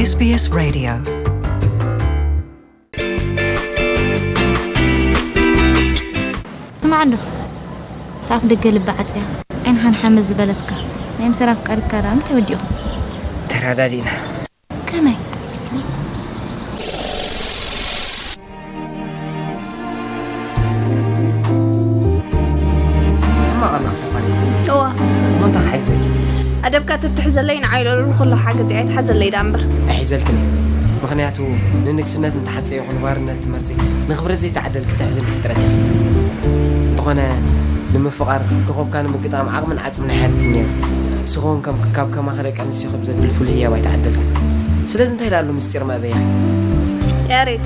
S B S Radio. ስማዕ እንዶ፣ ታፍ ደገ ልቢ ዓጽያ፣ ዓይንኻን ሓመ ዝበለትካ ናይ ምሰራ ኣፍቃሪትካ ደኣ እንታይ ወዲእኹም? ተረዳዲእና። ከመይ? ሕማቕ ኣለኺ ሰፋሪት። እዋ። እሞ እንታይ ክሓይዘኪ? ኣደብካ ትትሕዘለይ ንዓይ ኢለሉ ንኹሉ ሓገዝ ኣይትሓዘለይ ደኣ እምበር። ኣይሒዘልክን እየ። ምኽንያቱ ንንግስነት እንተሓጸ ይኹን ባርነት ትመርጺ፣ ንኽብረት ዘይተዓደልኪ ትሕዝኒ ፍጥረት ኢኺ። እንተኾነ ንምፍቓር ኮኾብካ ንምግጣም ዓቕምን ዓጽምን ኣይሓትትን ነይሩ። ንስኺ እውን ከም ካብ ከማኺ ደቂ ኣንስትዮ ክብ ዘብል ፍሉይ ህያብ ኣይተዓደልክን። ስለዚ እንታይ ደኣ ኣሎ ምስጢር መእበይኺ? ያሬድ፣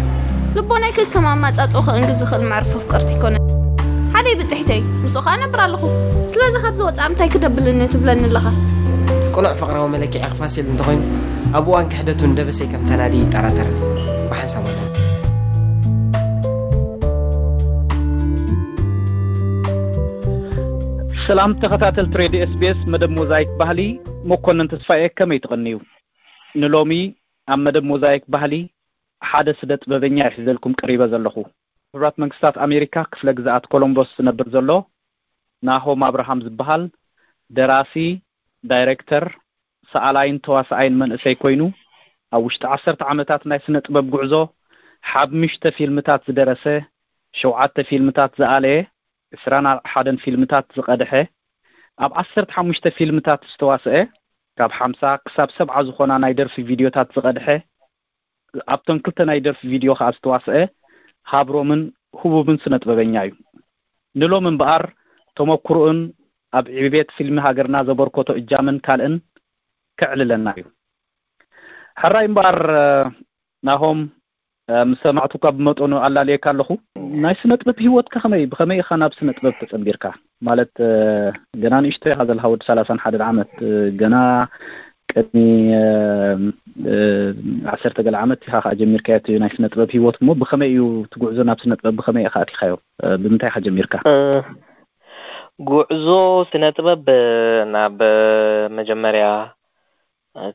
ልቦናይ ከከም ኣማጻጽኡ ክእንግዝ ዝኽእል መዕርፎ ፍቅርቲ ኣይኮነን። ሓደይ ብጽሒተይ፣ ምስኡ ኸኣ እነብር ኣለኹ። ስለዚ ካብዚ ወጻኢ እንታይ ክደብልኒ ትብለኒ ኣለኻ? ቅኑዕ ፍቕራዊ መለክዒ ክፋስ ኢሉ እንተኾይኑ፣ ኣብ እዋን ክሕደቱ ንደበሰይ ከም ተናዲ ይጠራጠርን። ብሓንሳብ ወላ። ሰላም ተኸታተልቲ ሬድዮ S B S መደብ ሞዛይክ ባህሊ፣ መኮንን ተስፋዬ ከመይ ትቕንዩ? ንሎሚ ኣብ መደብ ሞዛይክ ባህሊ ሓደ ስነ ጥበበኛ ይሕዘልኩም ቀሪበ ዘለኹ። ሕቡራት መንግስታት ኣሜሪካ ክፍለ ግዝኣት ኮሎምቦስ ዝነብር ዘሎ ናሆም ኣብርሃም ዝበሃል ደራሲ፣ ዳይሬክተር፣ ሰኣላይን ተዋሳኣይን መንእሰይ ኮይኑ ኣብ ውሽጢ ዓሰርተ ዓመታት ናይ ስነ ጥበብ ጉዕዞ ሓሙሽተ ፊልምታት ዝደረሰ፣ ሸውዓተ ፊልምታት ዝኣለየ፣ ዕስራን ሓደን ፊልምታት ዝቐድሐ፣ ኣብ ዓሰርተ ሓሙሽተ ፊልምታት ዝተዋስአ፣ ካብ ሓምሳ ክሳብ ሰብዓ ዝኾና ናይ ደርፊ ቪድዮታት ዝቐድሐ፣ ኣብተን ክልተ ናይ ደርፊ ቪድዮ ኸኣ ዝተዋስአ ሃብሮምን ህቡብን ስነ ጥበበኛ እዩ። ንሎም እምበኣር ተመኩሮኡን ኣብ ዕቤት ፊልሚ ሃገርና ዘበርከቶ እጃምን ካልእን ከዕልለና እዩ። ሕራይ እምበኣር ናሆም፣ ምስ ሰማዕቱካ ብመጠኑ ኣላልየካ ኣለኹ። ናይ ስነ ጥበብ ህይወትካ ከመይ፣ ብኸመይ ኢኻ ናብ ስነ ጥበብ ተጸንቢርካ? ማለት ገና ንእሽቶ ኢኻ ዘለኻ፣ ወዲ ሰላሳን ሓደን ዓመት፣ ገና ቅድሚ ዓሰርተ ገለ ዓመት ኢኻ ከኣ ጀሚርካዮ እቲ ናይ ስነ ጥበብ ህይወት። እሞ ብኸመይ እዩ እቲ ጉዕዞ ናብ ስነ ጥበብ፣ ብኸመይ ኢኻ ኣቲኻዮ? ብምንታይ ኢኻ ጀሚርካ? እ፣ ጉዕዞ ስነ ጥበብ ናብ መጀመርያ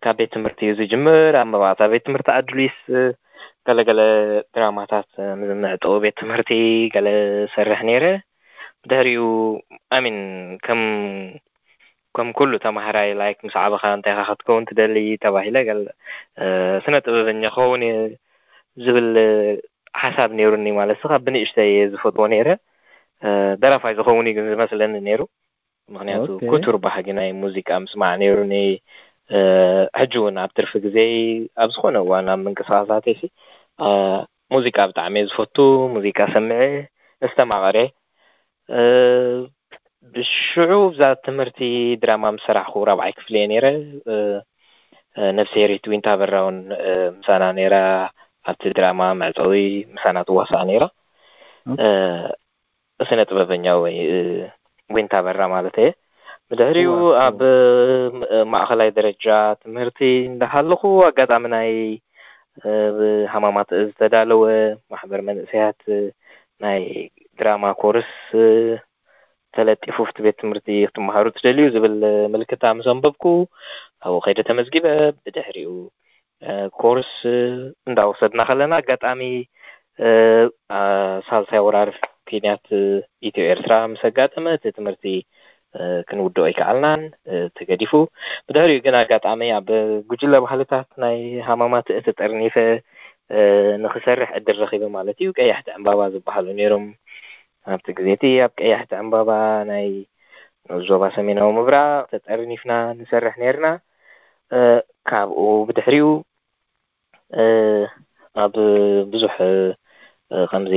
ካብ ቤት ትምህርቲ እዩ ዝጅምር። ኣብ መባእታ ቤት ትምህርቲ ኣድሊስ ገለገለ ድራማታት ምስ መዕጠዊ ቤት ትምህርቲ ገለ ሰርሕ ነይረ። ብድሕሪኡ፣ ኣሚን፣ ከም ከም ኩሉ ተማሃራይ፣ ላይክ፣ ምስ ዓበኻ እንታይ ኢኻ ክትከውን ትደሊ ተባሂለ፣ ገለ ስነ ጥበበኛ ክኸውን እየ ዝብል ሓሳብ ነይሩኒ። ማለት፣ ካብ ብንእሽተይ እየ ዝፈትዎ ነይረ። ደራፋይ ዝኸውን እዩ ግን ዝመስለኒ ነይሩ። ምኽንያቱ፣ ኦኬ። ክቱር ባህጊ ናይ ሙዚቃ ምስማዕ ነይሩኒ። ሕጂ እውን ኣብ ትርፊ ግዜ ኣብ ዝኾነ እዋን ኣብ ምንቅስቓሳተይሲ ሙዚቃ ብጣዕሚ እየ ዝፈቱ። ሙዚቃ ሰምዐ፣ እስተማቐረ። ብሽዑ ብዛ ትምህርቲ ድራማ ምስ ሰራሕኹ፣ ራብዓይ ክፍሊ እየ ነይረ። ነፍስሄሪት ዊንታ በራ እውን ምሳና ነይራ። ኣብቲ ድራማ መዕጸዊ ምሳና ትዋሳእ ነይራ። ኦኬ። ስነ ጥበበኛ ወይ ዊንታ በራ ማለት እየ። ብድሕሪኡ እዋ፣ ኣብ እዋ። ማእኸላይ ደረጃ ትምህርቲ እንዳሃለኹ ኣጋጣሚ ናይ ብሃማማት ዝተዳለወ ማሕበር መንእሰያት ናይ ድራማ ኮርስ ተለጢፉ፣ ኣብቲ ቤት ትምህርቲ ክትመሃሩ ትደልዩ ዝብል ምልክታ ምስ ኣንበብኩ፣ ኣብኡ ከይደ ተመዝጊበ። ብድሕሪኡ ኮርስ እንዳወሰድና ከለና፣ ኣጋጣሚ ሳልሳይ ወራር ኲናት ኢትዮ ኤርትራ ምስ ኣጋጠመ፣ እቲ ትምህርቲ ክንውድኦ ኣይከኣልናን፣ ተገዲፉ። ብድሕሪኡ ግን ኣጋጣሚ ኣብ ጉጅለ ባህልታት ናይ ሃማማት ተጠርኒፈ ንኽሰርሕ ዕድል ረኺበ ማለት እዩ። ቀያሕቲ ዕምባባ ዝበሃሉ ነይሮም ኣብቲ ግዜ እቲ። ኣብ ቀያሕቲ ዕምባባ ናይ ንኡስ ዞባ ሰሜናዊ ምብራቕ ተጠርኒፍና ንሰርሕ ነይርና። ካብኡ ብድሕሪኡ ኣብ ብዙሕ ከምዚ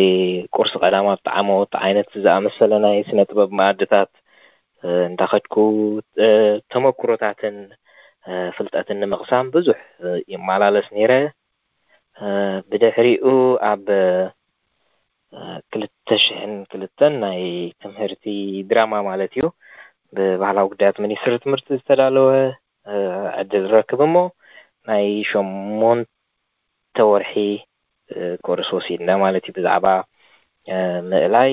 ቁርሲ ቀዳም ኣብ ጣዕሞት ዓይነት ዝኣመሰለ ናይ ስነ ጥበብ መኣድታት እንዳኸድኩ ተመኩሮታትን ፍልጠትን ንምቕሳም ብዙሕ ይመላለስ ነይረ። ብድሕሪኡ ኣብ ክልተ ሽሕን ክልተን ናይ ትምህርቲ ድራማ ማለት እዩ፣ ብባህላዊ ጉዳያት ሚኒስትሪ ትምህርቲ ዝተዳለወ ዕድል ረክብ እሞ፣ ናይ ሸሞንተ ወርሒ ኮርስ ወሲድና ማለት እዩ። ብዛዕባ ምእላይ፣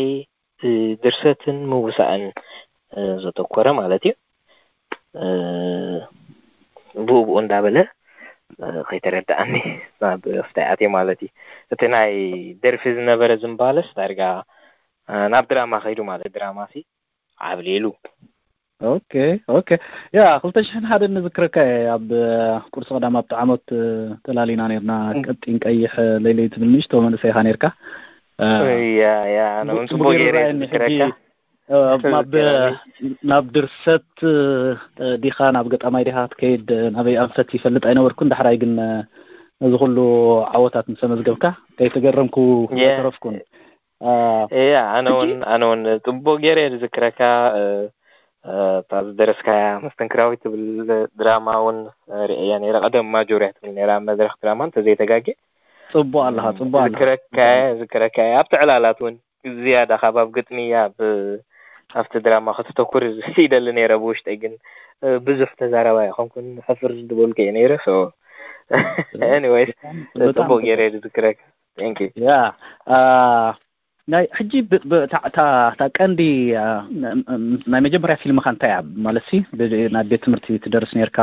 ድርሰትን ምውሳእን ዘተኮረ ማለት እዩ። ብኡ ብኡ እንዳበለ ከይተረዳኣኒ ናብ ፍታይ ኣትየ ማለት እዩ። እቲ ናይ ደርፊ ዝነበረ ዝምባለስ ዳርጋ ናብ ድራማ ከይዱ ማለት ድራማ ሲ ዓብሊሉ። ኦኬ ኦኬ። ያ ክልተ ሽሕን ሓደን ንዝክረካ እየ፣ ኣብ ቁርሲ ቀዳም ኣብቲ ዓመት ተላሊና ነርና። ቀጢን ቀይሕ ለይለይ ትብል ንእሽቶ መንእሰይ ኢኻ ነርካ። ያ ያ ኣነ እውን ጽቡቅ ገይረ ዝክረካ። ናብ ድርሰት ዲኻ ናብ ገጣማይ ዲኻ ትከይድ ናበይ ኣንፈት ይፈልጥ ኣይነበርኩን። ዳሕራይ ግን ነዚ ኩሉ ዓወታት ምስ ኣመዝገብካ ከይተገረምኩ ኣይተረፍኩን። እያ ኣነ እውን ኣነ እውን ጽቡቅ ገይረ እየ ዝዝክረካ። እታ ዝደረስካያ መስተንክራዊት ትብል ድራማ እውን ርእያ ነይረ። ቀደም ማጆርያ ትብል ነይራ ኣብ መድረኽ ድራማ እንተዘይተጋጌ። ጽቡቅ ኣለኻ ጽቡቅ ኣለኻ። ዝክረካ እየ ዝክረካ እየ ኣብቲ ዕላላት እውን ዝያዳ ካብ ኣብ ግጥሚ ኣብ ኣብቲ ድራማ ከተተኩር ይደሊ ነይረ ብውሽጠይ፣ ግን ብዙሕ ተዛራባይ ኣይኮንኩን፣ ሕፍር ዝበልኩ እየ ነይረ። ኤኒወይስ ጽቡቅ ገይረ ዝክረካ። Thank you። ያ ናይ ሕጂ እታ ቀንዲ ናይ መጀመርያ ፊልምካ እንታይ እያ ማለት ሲ ናብ ቤት ትምህርቲ ትደርስ ነርካ፣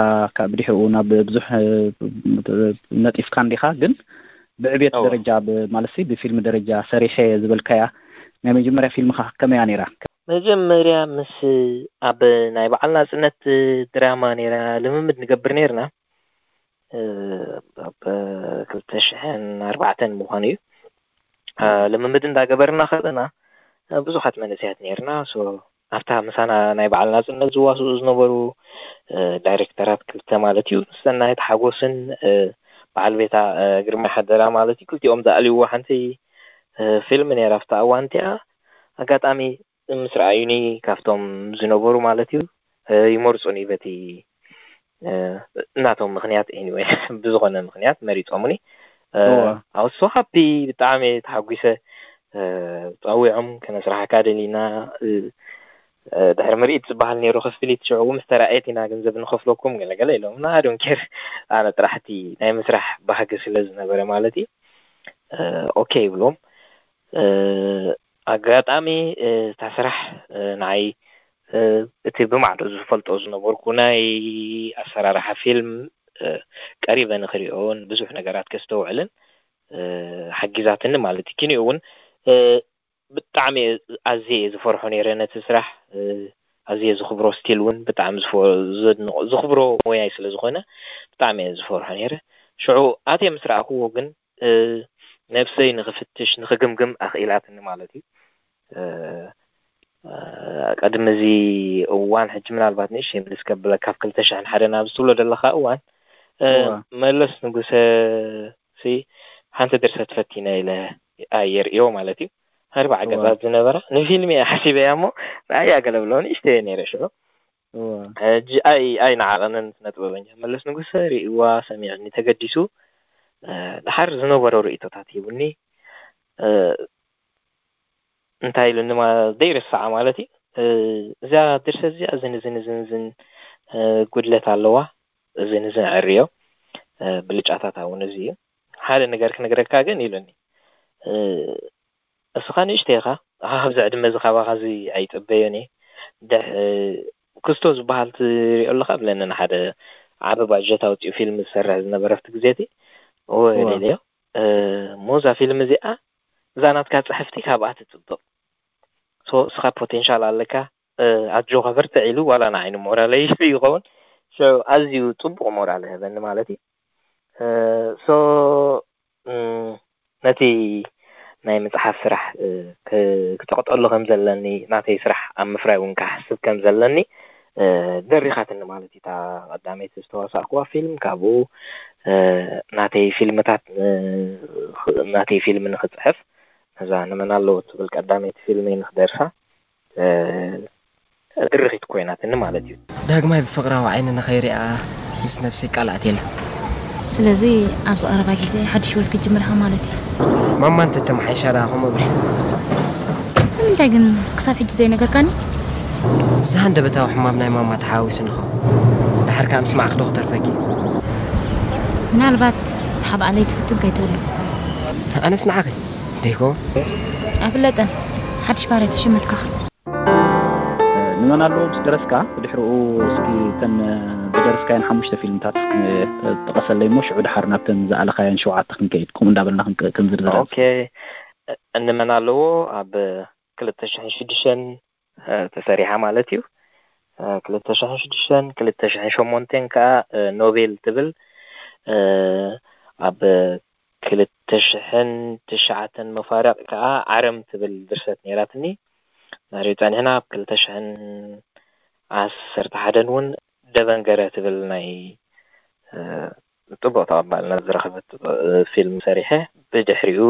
ብድሕኡ ናብ ብዙሕ ነጢፍካ እንዲካ፣ ግን ብዕቤት ደረጃ ማለት ሲ ብፊልም ደረጃ ሰሪሐ ዝበልካያ ናይ መጀመርያ ፊልምካ ከመያ ነይራ? መጀመርያ ምስ ኣብ ናይ በዓል ናጽነት ድራማ ነይራ ልምምድ ንገብር ነርና። ኣብ ክልተ ሽሕን ኣርባዕተን ምዃኑ እዩ። ልምምድ እንዳገበርና ከለና ብዙሓት መንእሰያት ነርና። ኣብታ ምሳና ናይ በዓል ናጽነት ዝዋስኡ ዝነበሩ ዳይሬክተራት ክልተ ማለት እዩ፣ ሰናይት ሓጎስን በዓል ቤታ ግርማይ ሓደራ ማለት እዩ። ክልቲኦም ዝኣልይዎ ሓንቲ ፊልም ነይራ ኣብታ እዋን እቲኣ። ኣጋጣሚ ምስ ረኣዩኒ ካብቶም ዝነበሩ ማለት እዩ ይመርጹኒ በቲ እናቶም ምኽንያት anyway ብዝኾነ ምኽንያት መሪጾምኒ። I was so happy ብጣዕሚ ተሓጒሰ። ጸዊዖም ከነስራሕካ ደሊና ድሕሪ ምርኢት ዝበሃል ነይሩ ክፍሊት ሽዑ ምስ ተራእየት ኢና ገንዘብ ንኸፍለኩም ገለገለ ኢሎም። I don't care ኣነ ጥራሕ እቲ ናይ ምስራሕ ባህጊ ስለ ዝነበረ ማለት እዩ okay ይብሎም። ኣጋጣሚ እታ ስራሕ ንዓይ እቲ ብማዕዶ ዝፈልጦ ዝነበርኩ ናይ ኣሰራርሓ ፊልም ቀሪበ ንክሪኦን ብዙሕ ነገራት ከስተውዕልን ሓጊዛትኒ ማለት እዩ። ኪንኡ እውን ብጣዕሚ ኣዝየ እየ ዝፈርሖ ነይረ ነቲ ስራሕ፣ ኣዝየ ዝኽብሮ፣ ስቲል እውን ብጣዕሚ ዝኽብሮ ሞያይ ስለ ዝኾነ ብጣዕሚ እየ ዝፈርሖ ነይረ። ሽዑ ኣትየ ምስ ረኣኽዎ ግን ነብሰይ ንኽፍትሽ ንኽግምግም ኣኽኢላትኒ ማለት እዩ። ቀድሚ እዚ እዋን ሕጂ ምናልባት ንእሽተይ ምልስ ከብለካ፣ ካብ ክልተ ሽሕን ሓደን ኣብዚ ትብሎ ዘለኻ እዋን መለስ ንጉሰ ሲ ሓንቲ ድርሰት ፈቲነ ኢለ ኣየርእዮ ማለት እዩ። ኣርባዓ ገጻት ዝነበራ ንፊልም እየ ሓሲበያ እሞ ንኣያ ገለ ብሎ ንእሽተይ እየ ነይረ ሽዑ። ሕጂ ኣይ ኣይነዓቐንን ስነ ጥበበኛ መለስ ንጉሰ ርእይዋ ሰሚዕኒ ተገዲሱ ድሓር ዝነበሮ ርእይቶታት ሂቡኒ። እንታይ ኢሉኒ ዘይርስዓ ማለት እዩ። እዛ ድርሰት እዚኣ እዝን እዝን እዝን እዝን ጉድለት ኣለዋ፣ እዝን እዝን ዕርዮ ብልጫታታ እውን እዚ እዩ። ሓደ ነገር ክነግረካ ግን ኢሉኒ፣ እስኻ ንእሽተይ ኢኻ፣ ካብዚ ዕድመ እዚ ካባኻ እዚ ኣይጽበዮን እየ። ክስቶ ዝበሃል ትሪኦ ኣለኻ ብለኒ፣ ንሓደ ዓቢ ባጀት ኣውፂኡ ፊልም ዝሰርሕ ዝነበረ ኣብቲ ግዜ እቲ። እወ ኢለዮ። እሞ እዛ ፊልም እዚኣ እዛ ናትካ ጽሕፍቲ ካብኣ ትጽብቕ። ሶ እስኻ ፖቴንሻል ኣለካ፣ ኣጆኻ በርትዕ ኢሉ ዋላ ንዓይ ንሞራለይ ኢሉ ይኸውን። ኣዝዩ ጽቡቕ ሞራል ህበኒ ማለት እዩ። ሶ ነቲ ናይ ምጽሓፍ ስራሕ ክጸቕጠሉ ከም ዘለኒ፣ ናተይ ስራሕ ኣብ ምፍራይ እውን ክሓስብ ከም ዘለኒ ደሪኻትኒ ማለት እዩ። እታ ቀዳመይቲ ዝተዋሳእኩዋ ፊልም፣ ካብኡ ናተይ ፊልምታት ናተይ ፊልም ንኽጽሕፍ ነዛ ንመን ኣለዎ ትብል ቀዳመይቲ ፊልመይ ንኽደርሳ ድርኺት ኮይናትኒ ማለት እዩ። ዳግማይ ብፍቕራዊ ዓይኒ ንኸይሪኣ ምስ ነብሰይ ቃል ኣትየላ። ስለዚ ኣብዚ ቀረባ ግዜ ሓድሽ ህይወት ክትጅምር ኢኻ ማለት እዩ። ማማ እንተተመሓይሻ ደኣ ከምኡ እብል። ንምንታይ ግን ክሳብ ሕጂ ዘይነገርካኒ? ምስ ሃንደበታዊ ሕማም ናይ ማማ ተሓዋዊሱኒ ይኸውን። ደሓር ከኣ ምስማዕኪ ዶ ክተርፈኪ እዩ? ምናልባት ተሓብኣ ለይትፍትን ከይትህሉ። ኣነስ ንዓኺ ደይኮ? ኣይፍለጥን። ሓድሽ ባህርያት ተሸመትካኻ። ንመን ኣሎ ምስ ደረስካ ብድሕሪኡ እስኪ ተን ደርስካየን ሓሙሽተ ፊልምታት ክ- ጥቀሰለይ እሞ ሽዑ ድሓር ናብተን ዝኣለኻየን ሸውዓተ ክንከይድ ከምኡ እንዳበልና ክንቀ- ክንዝርዝር። ኦኬ። እንመን ኣለዎ ኣብ ክልተ ሽሕን ሽዱሽተን ተሰሪሓ ማለት እዩ። ክልተ ሽሕን ሽዱሽተን ክልተ ሽሕን ሸሞንተን ከዓ ኖቤል ትብል ኣብ ክልተ ሽሕን ትሽዓተን መፋርቕ ከዓ ዓረም ትብል ድርሰት ነይራትኒ። ናርዩ ጸኒሕና ኣብ ክልተ ሽሕን ዓሰርተ ሓደን እውን ደበንገረ ትብል ናይ ጽቡቕ ተቐባልነት ዝረኸበት ፊልም ሰሪሐ። ብድሕሪኡ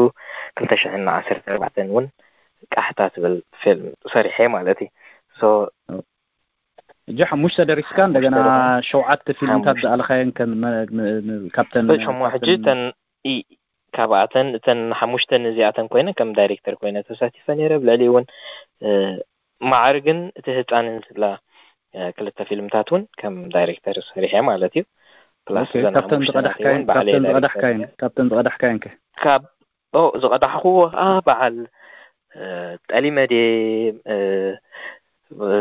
ክልተ ሽሕን ዓሰርተ ኣርባዕተን እውን ቃሕታ ትብል ፊልም ሰሪሐ ማለት እዩ። ሶ እጂ ሓሙሽተ ደሪስካ እንደገና ሸውዓተ ፊልምታት ዝኣለኻየን ከን መ- ም- ም- ካብተን እሞ ሕጂ ተን ኢ- ካብኣተን እተን ሓሙሽተን እዚኣተን ኮይነ ከም ዳይሬክተር ኮይነ ተሳቲፈ ነይረ። ብልዕሊ እውን እ፣ ማዕርግን እቲ ህፃንን ዝብላ እ፣ ክልተ ፊልምታት እውን ከም ዳይሬክተር ሰሪሐ ማለት እዩ። ፕላስ ኦኬ፣ እዘን ካብተን ሓሙሽተ ናተይ እውን ዝቐዳሕካየን ባዕለይ ካብተን ዳይሬክተር ዝቐዳሕካየን ነይረ። ካብተን ዝቐዳሕካየን ከ ካብ ኦ ዝቐዳሕኩዎ ከዓ በዓል እ፣ ጠሊመ ድየ እ፣ እ፣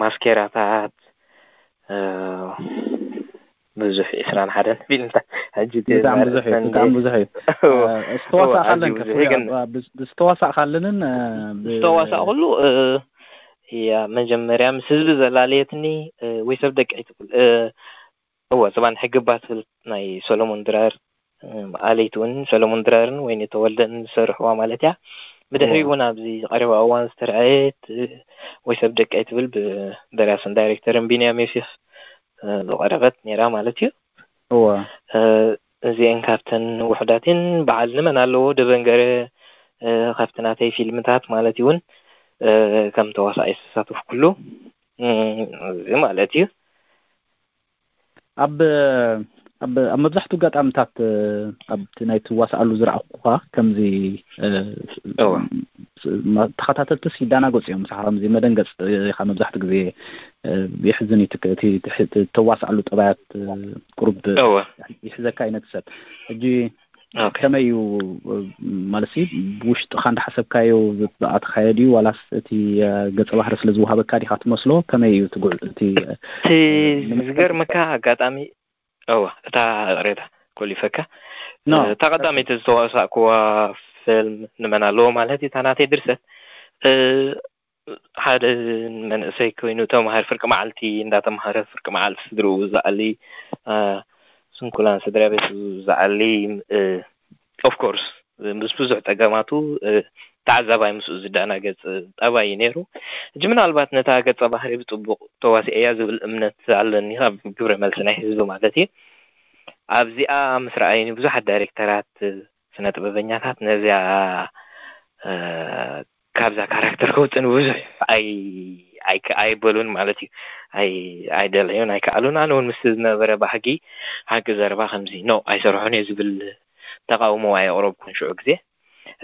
ማስኬራታት እ፣ ብዙሕ ዕስራን ሓደን ፊልምታት ሕጂ እቲ ብጣዕሚ ብዙሕ እዩ ኣርእስታን ብጣዕሚ ብዙሕ እዩ እዎ፣ ዝተዋሳእካለን ኣዝዩ ከ ብዙሕ እዩ። ግን ዝተዋሳእካለንን ብ- ዝተዋሳእኩሉ እ፣ እያ መጀመርያ ምስ ህዝቢ ዘላለየትኒ እ፣ ወይ ሰብ ደቂ ኣይትብል እ፣ እወ ዝባን ሕግባ ትብል ናይ ሰሎሞን ድራር እ፣ ኣለይቲ እውን ሰሎሞን ድራርን ወይኒ ተወልደን ዝሰርሕዋ ማለት እያ። ብድሕሪ እውን ኣብዚ ቀረባ እዋን ዝተረኣየት እ፣ ወይ ሰብ ደቂ ኣይትብል ብደራስን ዳይሬክተርን ቢንያም ዮሴፍ እ፣ ዝቐረበት ነይራ ማለት እዩ። እወ እ፣ እዚአን ካብተን ውሑዳትን በዓል ንመን ኣለዎ ደበንገረ እ፣ ካብቲ ናተይ ፊልምታት ማለት እውን እ፣ ከም ተዋሳኣይ ዝተሳተፍኩሉ እ፣ እዚ ማለት እዩ። ኣብ ኣብ ኣብ መብዛሕትኡ ኣጋጣምታት እ፣ ኣብቲ ናይ ትዋሳኣሉ ዝረኣኩኻ ከምዚ እ፣ እወ። ስ- ማ- ተኸታተልትስ ይዳናገጹ እዮም። ምሳኻ ከምዚ መደንገጽ ኢኻ መብዛሕትኡ ግዜ እ፣ የሕዝን እዩ። እቲ እቲ ተዋሳኣሉ ጠባያት እ፣ ቁሩብ እወ ይሕዘካ ዓይነት ሰብ ሕጂ ኦኬ። ከመይ እዩ እ፣ ማለት ሲ ብውሽጥኻ እንዳሓሰብካዮ ዝኣተኻዮ ድዩ ዋላስ እቲ እ፣ ገጸ ባህሪ ስለ ዝወሃበካ ዲኻ ትመስሎ? ከመይ እዩ ትጉዕ እቲ እ፣ እቲ ዝገርመካ ኣጋጣሚ እወ እታ ቅሬታ ኮሊፈካ ኖ እታ ቀዳመይቲ ዝተዋሳእኩዋ ፊልም ንመን ኣለዎ ማለት እዩ። እታ ናተይ ድርሰት እ፣ ሓደ መንእሰይ ኮይኑ ተምሃር ፍርቂ መዓልቲ እንዳተምሃረ ፍርቂ መዓልቲ ስድርኡ ዝኣሊ እ፣ ስንኩላን ስድራ ቤቱ ዝኣሊ ኦፍኮርስ ምስ ብዙሕ ጸገማቱ እ፣ ተዓዛባይ ምስኡ ዝዳናገጽ ጠባይ እዩ ነይሩ። ሕጂ ምናልባት ነታ ገጸ ባህሪ ብጽቡቕ ተዋሲኤያ ዝብል እምነት ኣለኒ ካብ ግብረ መልሲ ናይ ህዝቢ ማለት እዩ። ኣብዚኣ ምስ ረኣዩኒ ብዙሓት ዳይሬክተራት ስነ ጥበበኛታት ነዚኣ እ፣ ካብዛ ካራክተር ከውፅን ብዙሕ ኣይ ኣይከ- ኣይበሉን ማለት እዩ። ኣይ ኣይደለዩን ኣይከኣሉን። ኣነ እውን ምስ ዝነበረ ባህጊ ሓቂ ዘረባ ከምዚ ኖ ኣይሰርሖን እየ ዝብል ተቃውሞ ኣየቅረብኩን ሽዑ ግዜ።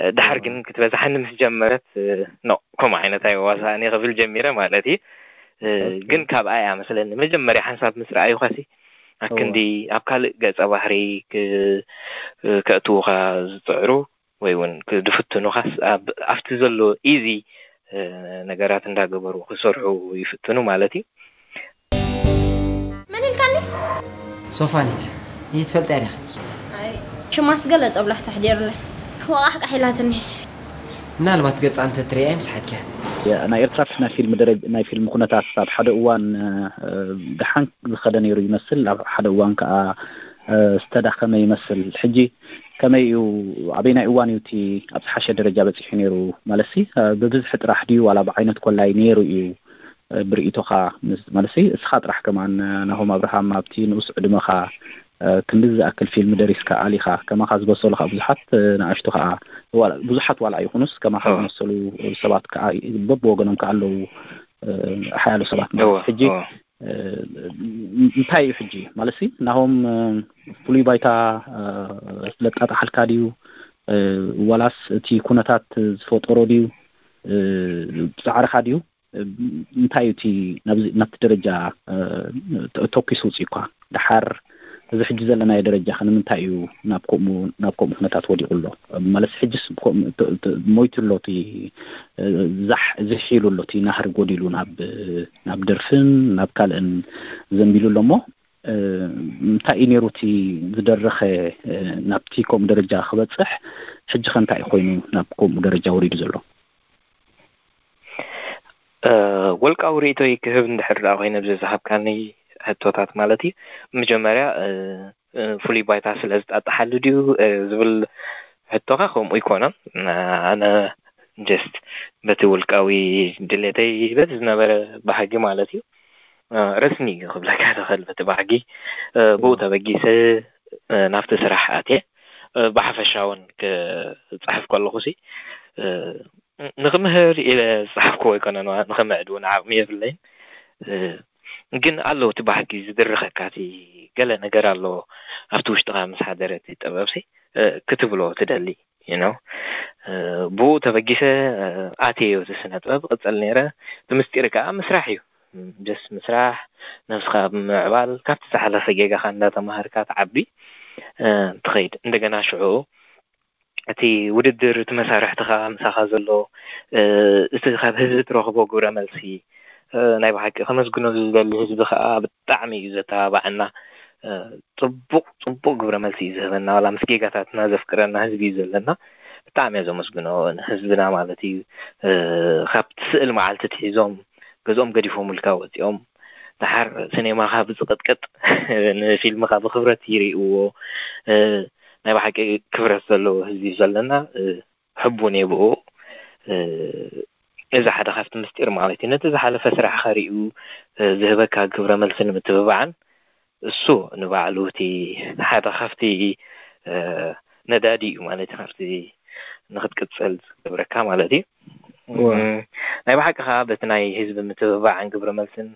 እ፣ ድሓር ግን ክትበዛሓኒ ምስ ጀመረት እ፣ ኖ ከምኡ ዓይነት ኣይዋሳእን እየ ክብል ጀሚረ ማለት እዩ። እ፣ ኦኬ። ግን ካብኣ እያ መስለኒ መጀመርያ ሓንሳብ ምስ ረኣዩኻሲ ኣክንዲ ኣብ ካልእ ገጸ ባህሪ ክ- ከእትዉኻ ዝጽዕሩ ወይ እውን ክድፍትኑኻስ ኣብ ኣብቲ ዘሎ ኢዚ ነገራት እንዳገበሩ ክሰርሑ ይፍትኑ ማለት እዩ። መን ኢልካኒ? ሶፋኒት ይትፈልጥያ ዲኺ? ሽማስ ገለ ጠብላሕ ተሕዲሩለይ ዋቃሕቃሕ ኢላትኒ። ምናልባት ገጻ እንተ ትርእያ ይምስሓትኪ። ናይ ኤርትራ ናይ ፊልም ደረጃ ናይ ፊልም ኩነታት ኣብ ሓደ እዋን እ፣ ደሓን ዝኸደ ነይሩ ይመስል፣ ኣብ ሓደ እዋን ከዓ እ፣ ዝተዳኸመ ይመስል። ሕጂ ከመይ እዩ? ኣበይናይ እዋን እዩ እቲ ኣብ ዝሓሸ ደረጃ በፂሑ ነይሩ? ማለትሲ እ፣ ብብዝሒ ጥራሕ ድዩ ዋላ ብዓይነት ኮላይ ነይሩ እዩ እ፣ ብርእይቶኻ? ምስ- ማለትሲ እስኻ ጥራሕ ከማን እ፣ ናሆም ኣብርሃም ኣብቲ ንኡስ ዕድመኻ እ፣ ክንድዚ ዝኣክል ፊልም ደሪስካ ኣሊኻ ከማኻ ዝበሰሉ ከዓ ብዙሓት እ፣ ንኣሽቱ ከዓ ዋላ- ብዙሓት ዋላ ኣይኹኑስ ከማኻ እወ። ዝመሰሉ ሰባት ከዓ በብወገኖም ከዓ ኣለዉ እ፣ ሓያሎ ሰባት ማለት እወ፣ ሕጂ እወ። እ፣ እንታይ እዩ ሕጂ ማለትሲ ናሆም እ፣ ፍሉይ ባይታ እ፣ ስለጣጣሓልካ ድዩ እ፣ ዋላስ እቲ ኩነታት ዝፈጠሮ ድዩ እ፣ ብፃዕርኻ ድዩ እንታይ እዩ እቲ ናብዚ ናብቲ ደረጃ እ፣ ተ- ተኪሱ ውፅእኳ ደሓር እዚ ሕጂ ዘለናዮ ደረጃ ከ ንምንታይ እዩ ናብ ከምኡ ናብ ከምኡ ኩነታት ወዲቑ ኣሎ? ማለት ሕጅስ ብከምኡ ት- ት- ሞይቱ ኣሎ፣ እቲ እ፣ ዛሕ ዝሕ ኢሉ ኣሎ፣ እቲ ናህሪ ጎዲሉ ናብ ናብ ደርፍን ናብ ካልእን ዘንቢሉ ኣሎ። እሞ እ፣ እንታይ እዩ ነይሩ እቲ ዝደረኸ እ፣ ናብቲ ከምኡ ደረጃ ክበፅሕ? ሕጂ ከ እንታይ ኮይኑ ናብ ከምኡ ደረጃ ወሪዱ ዘሎ? እ፣ ወልቃዊ ርእይቶይ ክህብ እንድሕር ደኣ ኮይነ፣ ብዚ ዝሃብካኒ ሕቶታት ማለት እዩ፣ መጀመርያ እ፣ እ፣ ፍሉይ ባይታ ስለ ዝጣጣሓሉ ድዩ እ፣ ዝብል ሕቶኻ ከምኡ ኣይኮነን። እ፣ ኣነ ጀስት በቲ ውልቃዊ ድሌተይ በቲ ዝነበረ ባህጊ ማለት እዩ እ፣ ረስኒ እዩ ክብለካ ዝኽእል። በቲ ባህጊ እ፣ ብኡ ተበጊሰ እ፣ ናብቲ ስራሕ ኣትየ። እ፣ ብሓፈሻ እውን ክፅሕፍ ከለኹ ሲ እ፣ ንክምህር ኢለ ዝፀሓፍክዎ ኣይኮነን፣ ዋ- ንክምዕድ እውን ዓቕሚ የብለይን። እ፣ ግን ኣሎ እቲ ባህጊ ዝድርኸካ፣ እቲ ገለ ነገር ኣሎ ኣብቲ ውሽጥኻ ምስ ሓደረ እቲ ጥበብ ሲ እ፣ ክትብሎ ትደሊ you know። እ፣ ብኡ ተበጊሰ እ፣ ኣትየዮ እቲ ስነ ጥበብ ቅፅል ነይረ። እቲ ምስጢር ከዓ ምስራሕ እዩ። ጀስት ምስራሕ፣ ነብስኻ ብምዕባል፣ ካብቲ ዝሓለፈ ጌጋኻ እንዳተማሃርካ ትዓቢ እ፣ ትኸይድ። እንደገና ሽዑ እቲ ውድድር፣ እቲ መሳርሕትኻ፣ ምሳኻ ዘሎ እ፣ እቲ ካብ ህዝቢ ትረኽቦ ግብረ መልሲ እ፣ ናይ ብሓቂ ከመስግነሉ ዝደሊ ህዝቢ ከዓ ብጣዕሚ እዩ ዘተባብዓና። እ፣ ፅቡቕ ፅቡቕ ግብረ መልሲ እዩ ዝህበና። ዋላ ምስ ጌጋታትና ዘፍቅረና ህዝቢ እዩ ዘለና። ብጣዕሚ እየ ዘመስግኖ ንህዝብና ማለት እዩ። እ፣ ካብቲ ስእል መዓልቲ ትሒዞም ገዝኦም ገዲፎምልካ ወፂኦም፣ ደሓር ሲኔማኻ ብዝቕጥቅጥ ንፊልምኻ ብክብረት ይርእይዎ። እ፣ ናይ ብሓቂ ክብረት ዘለዎ ህዝቢ እዩ ዘለና። እ፣ ሕቡን እየ ብኡ። እ፣ እዚ ሓደ ካብቲ ምስጢር ማለት እዩ። ነቲ ዝሓለፈ ስራሕኻ ሪኡ እ፣ ዝህበካ ግብረ መልሲ ንምትብባዕን እሱ ንባዕሉ እቲ ሓደ ካብቲ እ፣ ነዳዲ እዩ ማለት እዩ፣ ካብቲ ንክትቅፅል ዝገብረካ ማለት እዩ። እወ። እም፣ ናይ ብሓቂ ከዓ በቲ ናይ ህዝቢ ምትብባዕን ግብረ መልስን፣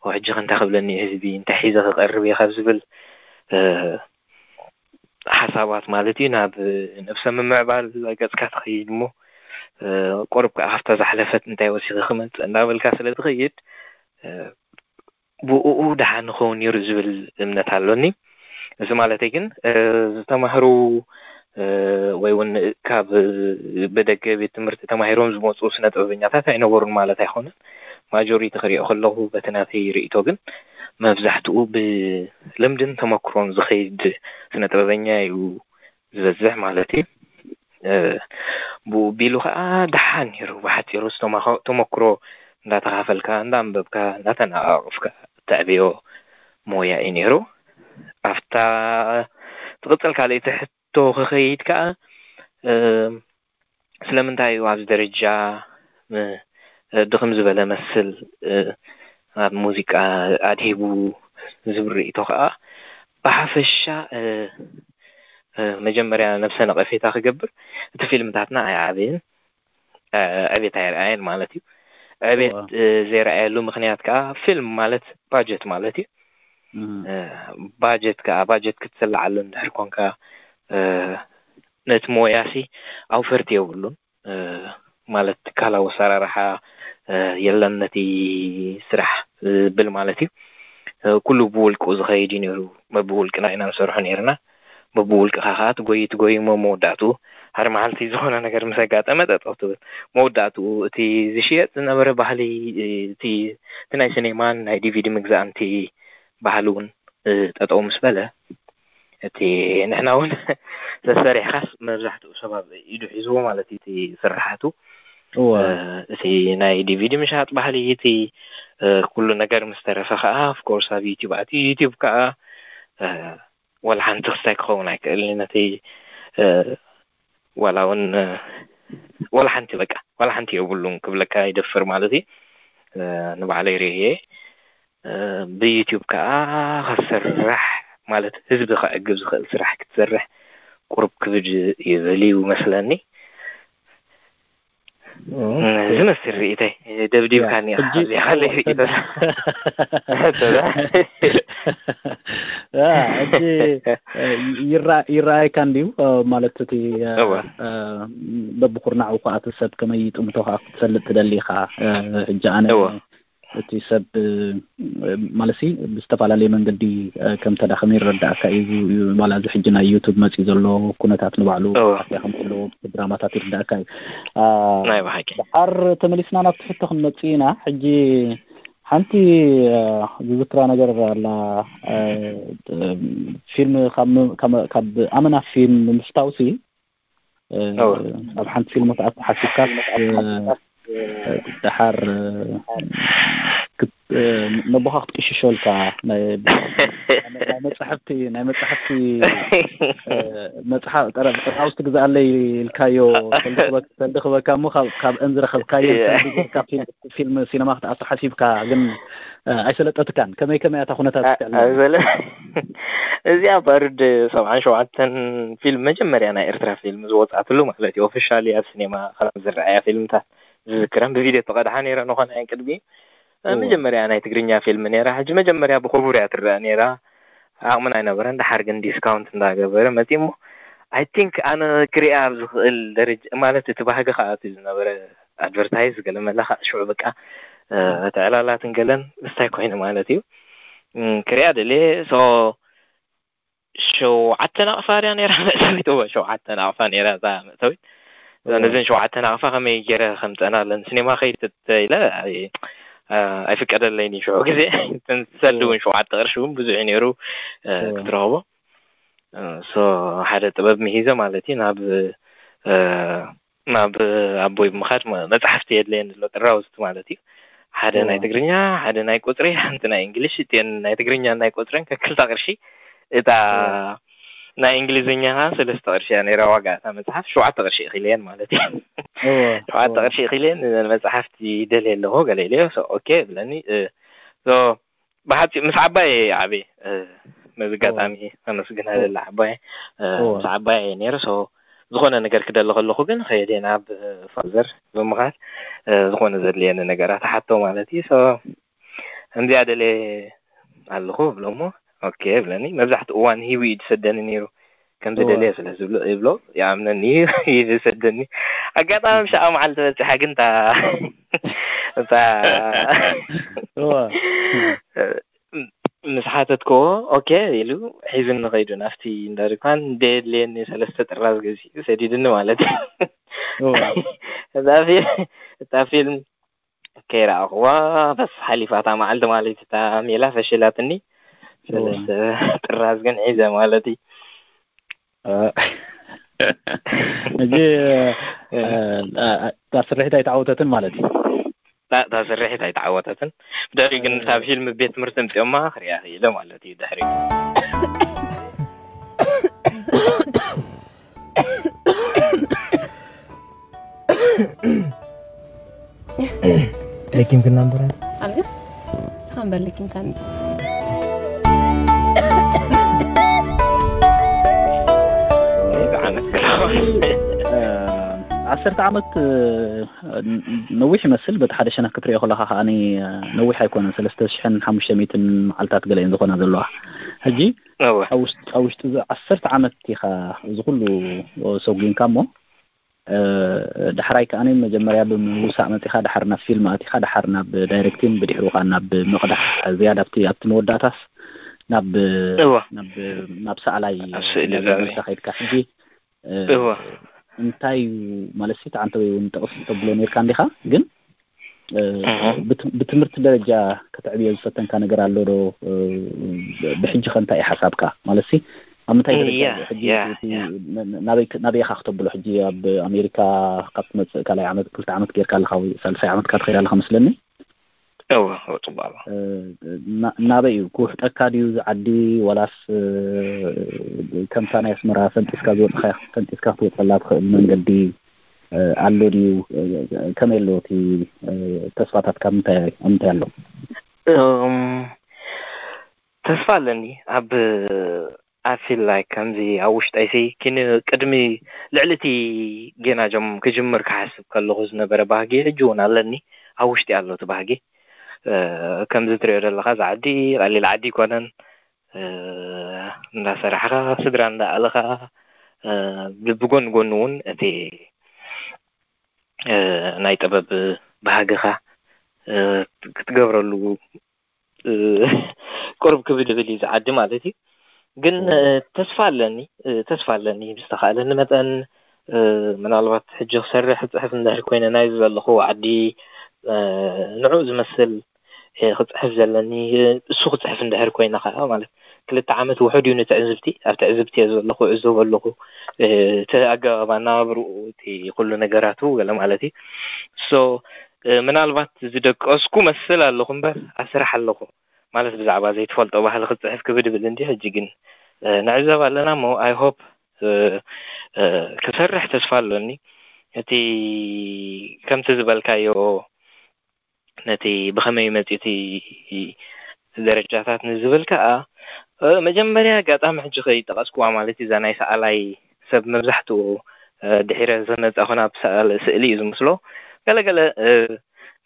"ኦ፣ ሕጂ ከ እንታይ ክብለኒ እዩ ህዝቢ፣ እንታይ ሒዘ ክቐርብ እየ?" ካብ ዝብል እ፣ ሓሳባት ማለት እዩ፣ ናብ ነብሰ ምምዕባል ገፅካ ትኸይድ እሞ እ፣ ቁሩብ ከዓ ካብታ ዝሓለፈት እንታይ ወሲኺ ክመፅእ እንዳበልካ ስለ ትኸይድ እ፣ ብኡኡ ደሓን ንኸውን ነይሩ ዝብል እምነት ኣሎኒ። እዚ ማለተይ ግን እ፣ ዝተማህሩ እ፣ ወይ እውን ካብ ብደገ ቤት ትምህርቲ ተማሂሮም ዝመፁ ስነ ጥበበኛታት ኣይነበሩን ማለት ኣይኮነን። ማጆሪቲ ክሪኦ ከለኹ በቲ ናተይ ርእይቶ ግን መብዛሕትኡ ብልምድን ተመክሮን ዝኸይድ ስነ ጥበበኛ እዩ ዝበዝሕ ማለት እዩ። እ፣ ብኡ ቢሉ ከዓ ደሓን ነይሩ። ብሓፂሩ ዝተማኸ- ተመክሮ እንዳተኻፈልካ፣ እንዳንበብካ፣ እንዳተነቓቕፍካ እተዕብዮ ሞያ እዩ ነይሩ። ኣብታ ትቕፅል ካልኣይቲ ሕቶ ክኸይድ ከዓ እ፣ ስለምንታይ እዩ ኣብዚ ደረጃ እ፣ ድኽም ዝበለ መስል እ፣ ኣብ ሙዚቃ ኣድሂቡ ዝብል ርእይቶ ከዓ ብሓፈሻ እ፣ እ፣ መጀመርያ ነብሰ ነቐፌታ ክገብር፣ እቲ ፊልምታትና ኣይዓበየን፣ እ፣ ዕቤት ኣይረኣየን ማለት እዩ። ዕቤት እወ። እ፣ ዘይረኣየሉ ምኽንያት ከዓ ፊልም ማለት ባጀት ማለት እዩ። እም። እ፣ ባጀት ከዓ ባጀት ክትስልዓሉ እንድሕር ኮንካ እ፣ ነቲ ሞያሲ ኣውፈርቲ የብሉን። እ፣ ማለት ትካላዊ ኣሰራርሓ እ፣ የለን ነቲ ስራሕ ዝብል ማለት እዩ። እ፣ ኩሉ ብውልቁ ዝኸይድ እዩ ነይሩ። በብውልቅና ኢና ንሰርሖ ነይርና። በብውልቅኻ ከዓ ትጎይ ትጎይ እሞ መወዳእትኡ ሓደ መዓልቲ ዝኾነ ነገር ምስ ኣጋጠመ ጠጠው ትብል። መወዳእትኡ እቲ ዝሽየጥ ዝነበረ ባህሊ እ፣ እቲ እቲ ናይ ሲኔማን ናይ ዲቪዲ ምግዛእን እቲ ባህሊ እውን እ፣ ጠጠው ምስ በለ እቲ ንሕና እውን ተሰሪሕካስ መብዛሕትኡ ሰብ ኣብ ኢዱ ሒዝዎ ማለት እዩ እቲ ስርሓቱ። እወ። እ፣ እቲ ናይ ዲቪዲ ምሻጥ ባህሊ፣ እቲ እ፣ ኩሉ ነገር ምስ ተረፈ ከዓ ኦፍኮርስ ኣብ ዩቲዩብ ኣትዩ። ዩቲዩብ ከዓ እ፣ ዋላ ሓንቲ ክስታይ ክኸውን ኣይክእልን እዩ። ነቲ እ፣ ዋላ እውን እ፣ ዋላ ሓንቲ በቃ ዋላ ሓንቲ የብሉን ክብለካ ይደፍር ማለት እዩ። እ፣ ንባዕለይ ርእየ እ፣ ብዩቲዩብ ከዓ ክሰርሕ ማለት ህዝቢ ከዕግብ ዝኽእል ስራሕ ክትሰርሕ ቁሩብ ክብድ ይብል እዩ መስለኒ። ኦኬ። ዝመስል ርእይተይ ደብዲብካኒ ኢኻ። ሕጂ እዚኣ ካለይ ርእይቶ። ያ፣ ሕጂ እ፣ ይራ- ይረኣየካ እንድዩ እ፣ ማለት እቲ እ፣ እወ። እ፣ በብኩርናዑ ከዓ እቲ ሰብ ከመይ ይጥምቶ ከዓ ክትፈልጥ ትደሊ ኢኻ። እ፣ ሕጂ ኣነ እወ። እቲ ሰብ ማለት ብዝተፈላለየ መንገዲ ከም ተዳኸመ ይረዳእካ እዩ። ዋላ እዚ ሕጂ ናይ ዩቱብ መፂኡ ዘሎ ኩነታት ንባዕሉ ኣፍያ ከም ዘለዎ ድራማታት ይርዳእካ እዩ። ናይ ብሓቂ ድሓር ተመሊስና ናብቲ ሕቶ ክንመፅእ ኢና። ሕጂ ሓንቲ ዝዝክራ ነገር ኣላ። ፊልም ካብ ኣመና ፊልም ምፍታውሲ ኣብ ሓንቲ ፊልም ተኣተሓሲብካ ድሓር ነቦኻ ክትቅሽሾልካ ናይ መፅሕፍቲ ናይ መፅሕፍቲ መፅሓፍ ጠራውስቲ ግዛኣለይ ኢልካዮ ሰልዲ ክበካ እሞ ካብአን ዝረኸብካዮ ፊልም ሲነማ ክትኣቱ ሓሲብካ ግን ኣይሰለጠትካን። ከመይ ከመይ ኣታ ኩነታት ኣይበለ እዚኣ ባርድ ሰብዓን ሸውዓተን ፊልም መጀመርያ ናይ ኤርትራ ፊልም ዝወፅኣትሉ ማለት እዩ። ኦፊሻሊ ኣብ ሲኔማ ካብ ዝረኣያ ፊልምታት ዝዝክረን ብቪድዮ ተቐድሓ ነይረ ንኾነ ቅድሚ መጀመርያ ናይ ትግርኛ ፊልም ነይራ። ሕጂ መጀመርያ ብክቡር እያ ትረአ ነይራ። ዓቕምና ኣይነበረን። ድሓር ግን ዲስካውንት እንዳገበረ መፂ እሞ ኣይ ቲንክ ኣነ ክሪኣ ኣብ ዝኽእል ደረጃ ማለት እቲ ባህጊ ከዓ እቲ ዝነበረ ኣድቨርታይዝ ገለ መለ ከዓ ሽዑ በቃ እቲ ዕላላትን ገለን ምስታይ ኮይኑ ማለት እዩ። ክሪኣ ደልየ ሶ ሸውዓተ ናቕፋ ድያ ነይራ መእተዊት? እወ ሸውዓተ ናቕፋ ነይራ እዛ መእተዊት። ነዘን ሸውዓተ ናቕፋ ከመይ ገይረ ከምፀና ለን ሲኔማ ከይድ ኢለ ኣይፍቀደለይን እዩ ሽዑ ግዜ። ሰልዲ እውን ሸውዓተ ቅርሺ እውን ብዙሕ እዩ ነይሩ ክትረኽቦ። ሶ ሓደ ጥበብ ምሂዘ ማለት እዩ ናብ ናብ ኣቦይ ብምኻድ መ- መፅሓፍቲ የድለየኒ ኣሎ ጥራውዝቲ ማለት እዩ። ሓደ ናይ ትግርኛ፣ ሓደ ናይ ቁፅሪ፣ ሓንቲ ናይ እንግሊሽ። እቲአን ናይ ትግርኛ ናይ ቁፅረን ከክልታ ቅርሺ እታ ናይ እንግሊዝኛ ከዓ ሰለስተ ቅርሺ እያ ነይራ ዋጋ እታ መፅሓፍ። ሸውዓተ ቅርሺ እኺለየን ማለት እዩ። ሸውዓተ ቅርሺ እኺለየን እዘን መፅሓፍቲ ደልየ ኣለኹ ገለ ኢለዮ። ሶ ኦኬ ብለኒ። ሶ ብሓፂ ምስ ዓባይ እየ ዓብየ። በዚ ኣጋጣሚ ከመስግና ደሊ ዓባይ ምስ ዓባይ እየ ነይረ። ሶ ዝኾነ ነገር ክደሊ ከለኹ ግን ከይደ ናብ ፋዘር ብምኻድ ዝኾነ ዘድልየኒ ነገራት ሓቶ ማለት እዩ። ሶ ከምዚኣ ደልየ ኣለኹ ብሎ እሞ ኦኬ ብለኒ። መብዛሕትኡ እዋን ሂቡ እዩ ዝሰደኒ ነይሩ። ከም ዝደለየ ስለ ዝብሎ ይብሎ ይኣምነኒ እዩ ይሰደኒ። ኣጋጣሚ ምሻኣ መዓልቲ በፂሓ ግን እታ እታ ምስ ሓተትክዎ ኦኬ ኢሉ ሒዙኒ ከይዱ ናብቲ እንዳ ድኳን ደየድልየኒ ሰለስተ ጥራዝ ገዚኡ ሰዲድኒ ማለት እዩ። እታ ፊልም ከይረኣኽዋ በስ ሓሊፋ እታ መዓልቲ ማለት እታ ሜላ ፈሽላትኒ። ሰለስተ ጥራዝ ግን ሒዘ ማለት እዩ። ሕጂ እታ ስርሒት ኣይተዓወተትን ማለት እዩ። እታ ስርሒት ኣይተዓወተትን። ብድሕሪኡ ግን እታ ፊልም ቤት ትምህርቲ ኣምፂኦማ ክሪኣ ክኢለ ማለት እዩ። ድሕሪኡ ለኪምክና እምበረ ኣልግስ ንስኻ እምበር ለኪምካኒ። ብዓመት ገላዋል ዓሰርተ ዓመት ነዊሕ ይመስል። በቲ ሓደ ሸነኽ ክትሪኦ ከለኻ ከዓኒ ነዊሕ ኣይኮነን። ሰለስተ ሽሕን ሓሙሽተ ሚእትን መዓልታት ገለ እየን ዝኾና ዘለዋ። ሕጂ እወ ኣብ ውሽጢ ኣብ ውሽጢ እዚ ዓሰርተ ዓመት ኢኻ እዚ ኩሉ ሰጒምካ እሞ ዳሕራይ ከኣ መጀመርያ ብምውሳእ መጺኻ፣ ዳሓር ናብ ፊልም ኣቲኻ፣ ዳሓር ናብ ዳይሬክቲን፣ ብድሕሩ ከኣ ናብ ምቕዳሕ፣ ዝያዳ ኣብቲ ኣብቲ መወዳእታስ ናብ እወ ናብ ናብ ሰኣላይ ኣብ ስእሊ እንዳገበርካ ከይድካ። ሕጂ እወ እንታይ እዩ ማለት ሲ ተዓንተ ወይ እውን ጠቕስ ተብሎ ነርካ እንዲኻ ግን እህ ብትምህርቲ ደረጃ ከተዕብዮ ዝፈተንካ ነገር ኣሎ ዶ? ብሕጂ ከ እንታይ ሓሳብካ ማለት ሲ ኣብ ምንታይ ደረጃ ያ፣ ሕጂ ያ፣ እቲ ያ። ናበይ ናበይ ኢኻ ክተብሎ ሕጂ ኣብ ኣሜሪካ ካብ ትመጽእ ካልኣይ ዓመት ክልተ ዓመት ጌርካ ኣለኻ ወይ ሳልሳይ ዓመትካ ትኸይድ ኣለኻ መስለኒ። እወ እወ ጽቡቅ ኣሎ። እ፣ ና- ናበይ እዩ ክውሕጠካ ድዩ ዝዓዲ ወላስ እ፣ ከምታ ናይ ኣስመራ ፈንጢስካ ዝወፅኻ ፈንጢስካ ክትወፀላ ትኽእል መንገዲ እ፣ ኣሎ ድዩ? እ፣ ከመይ ኣሎ እቲ እ፣ ተስፋታት ካብ ምንታይ ኣብ ምንታይ ኣሎ? እም፣ ተስፋ ኣለኒ ኣብ ኣብ ፊል ላይክ ከምዚ ኣብ ውሽጠይሲ ኪን ቅድሚ ልዕሊ እቲ ጌና ጀም ክጅምር ክሓስብ ከለኹ ዝነበረ ባህጊ ሕጂ እውን ኣለኒ። ኣብ ውሽጢ ኣሎ እቲ ባህጊ። እ፣ ከምዚ ትሪኦ ዘለኻ እዚ ዓዲ ቀሊል ዓዲ ኣይኮነን። እ፣ እንዳሰራሕኻ ስድራ እንዳኣለኻ እ፣ ብጎን ጎኑ እውን እቲ እ፣ ናይ ጥበብ ባህግኻ ክትገብረሉ ቅርብ ክብድ ብል እዩ ዝዓዲ ማለት እዩ። ግን ተስፋ ኣለኒ ተስፋ ኣለኒ ብዝተኻእለኒ መጠን ምናልባት ሕጂ ክሰርሕ ክፅሕፍ እንድሕር ኮይነ ናይ ዘለኹ ዓዲ ንዑ ዝመስል ክፅሕፍ ዘለኒ እሱ ክፅሕፍ እንድሕር ኮይነ ከዓ ማለት ክልተ ዓመት ውሑድ እዩ ንትዕዝብቲ ኣብ ትዕዝብቲ እየ ዘለኹ እዕዘቡ ኣለኹ እቲ ኣገባብ ኣናባብርኡ እቲ ኩሉ ነገራቱ ገለ ማለት እዩ። ምናልባት ዝደቀስኩ መስል ኣለኹ እምበር ኣብ ስራሕ ኣለኹ ማለት ብዛዕባ ዘይትፈልጦ ባህሊ ክፅሕፍ ክብድ ብል እንዲ ሕጂ ግን ንዕዘብ ኣለና እሞ I hope ክሰርሕ ተስፋ ኣሎኒ። እቲ ከምቲ ዝበልካዮ ነቲ ብኸመይ መፂኡ እቲ ደረጃታት ንዝብል ከዓ መጀመርያ ኣጋጣሚ ሕጂ ከይጠቐስኩዋ ማለት እዛ ናይ ሰኣላይ ሰብ መብዛሕትኡ ድሒረ ዝመፃኹ ናብ ስእሊ እዩ ዝምስሎ። ገለገለ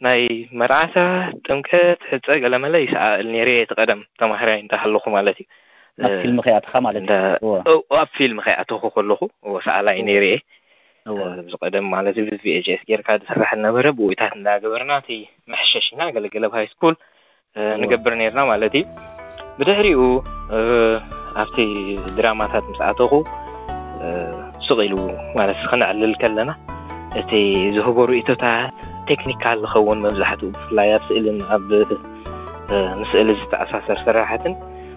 ናይ መርዓታት፣ ጥምቀት፣ ሕፀ ገለመለ ይሰኣእል ነይረ እየ እቲ ቀደም ተማሃራይ እንዳሃለኹ ማለት እዩ። ኣብ ፊልም ከይኣተኻ ማለት እዩ። ኣብ ፊልም ከይኣተኹ ከለኹ ሰኣላይ ነይረ እየ። እዚ ቀደም ማለት ቪ ኤች ኤስ ጌርካ ዝስራሕ ነበረ ብኡታት እንዳገበርና እቲ መሐሸሽና ገለገለ ኣብ ሃይ ስኩል ንገብር ነርና ማለት እዩ። ብድሕሪኡ ኣብቲ ድራማታት ምስ ኣተኹ ስቕ ኢሉ ማለት ክነዕልል ከለና እቲ ዝህቦ ርእቶታት ቴክኒካል ዝኸውን መብዛሕትኡ ብፍላይ ኣብ ስእልን ኣብ ምስእሊ ዝተኣሳሰር ስራሓትን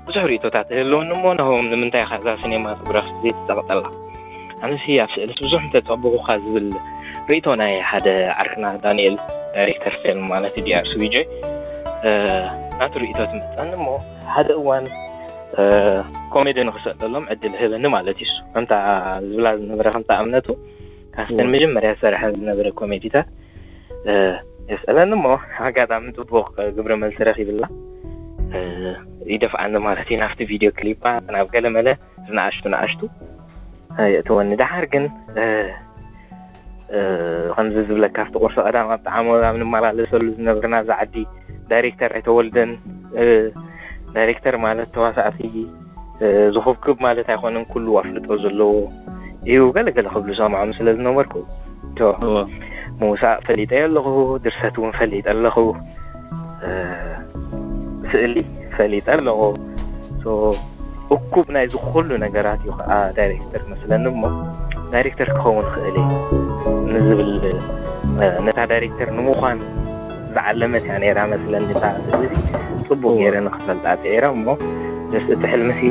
ብዙሕ ርእቶታት ይህልወኒ እሞ ናሆም ንምንታይ ኢኻ እዛ ሲኔማቶግራፊ ዘይትፀቕጠላ? ኣነሲ ኣብ ስእልስ ብዙሕ እንተፀበኹኻ ዝብል ርእቶ ናይ ሓደ ዓርክና ዳንኤል ዳይሬክተር ፊልም ማለት ዲኣር ስዊጀ ናቱ ርእቶ ትመፀኒ እሞ ሓደ እዋን ኮሜዲ ንክሰደሎም ዕድል ህበኒ ማለት እዩ። ከምታ ዝብላ ዝነበረ ከምታ እምነቱ ካብተን መጀመርያ ዝሰርሐ ዝነበረ ኮሜዲታት የስእለኒ እሞ ኣጋጣሚ ፅቡቕ ግብረ መልሲ ረኺብላ ይደፍኣኒ ማለት እዩ ናብቲ ቪድዮ ክሊፓ ናብ ገለመለ ዝነኣሽቱ ንኣሽቱ የእትወኒ። ደሓር ግን ከምዚ ዝብለካ ኣብቲ ቁርሲ ቀዳም ኣብ ጣዕሞ ኣብ ንመላለሰሉ ዝነበርና እዛ ዓዲ ዳይሬክተር ኣይተወልደን። ዳይሬክተር ማለት ተዋሳእቲ ዝኹብክብ ማለት ኣይኮነን፣ ኩሉ ኣፍልጦ ዘለዎ እዩ ገለገለ ክብሉ ሰምዖም ስለ ዝነበርኩ ምውሳእ ፈሊጠ ኣለኹ፣ ድርሰት እውን ፈሊጠ ኣለኹ። ስእሊ ፈሊጠ ኣለኹ። እኩብ ናይዚ ኩሉ ነገራት እዩ ከዓ ዳይሬክተር መስለኒ እሞ ዳይሬክተር ክኸውን ክእል እየ ንዝብል ነታ ዳይሬክተር ንምዃን ዝዓለመት እያ ነይራ መስለኒ እታ ስእሊ ጽቡቅ ገይረ ንክፈልጣ ጽዒረ እሞ ደስ እቲ ሕልምሲ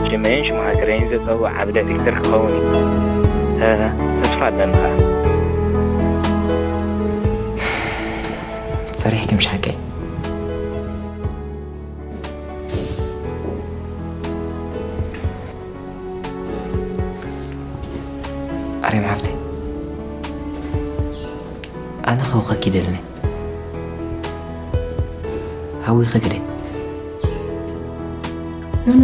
ሽመይን ሽማግረይን ዘጸውዕ ዓቢ ዳይሬክተር ክኸውን እዩ ተስፋ ኣለኒ ከዓ። ፈሪሕኪ ምሽ ሓቀይ? ኣርያም ሓፍተይ ኣነ ከውኸኪ ደልኒ ሃዊኸ ግደ ኖኖ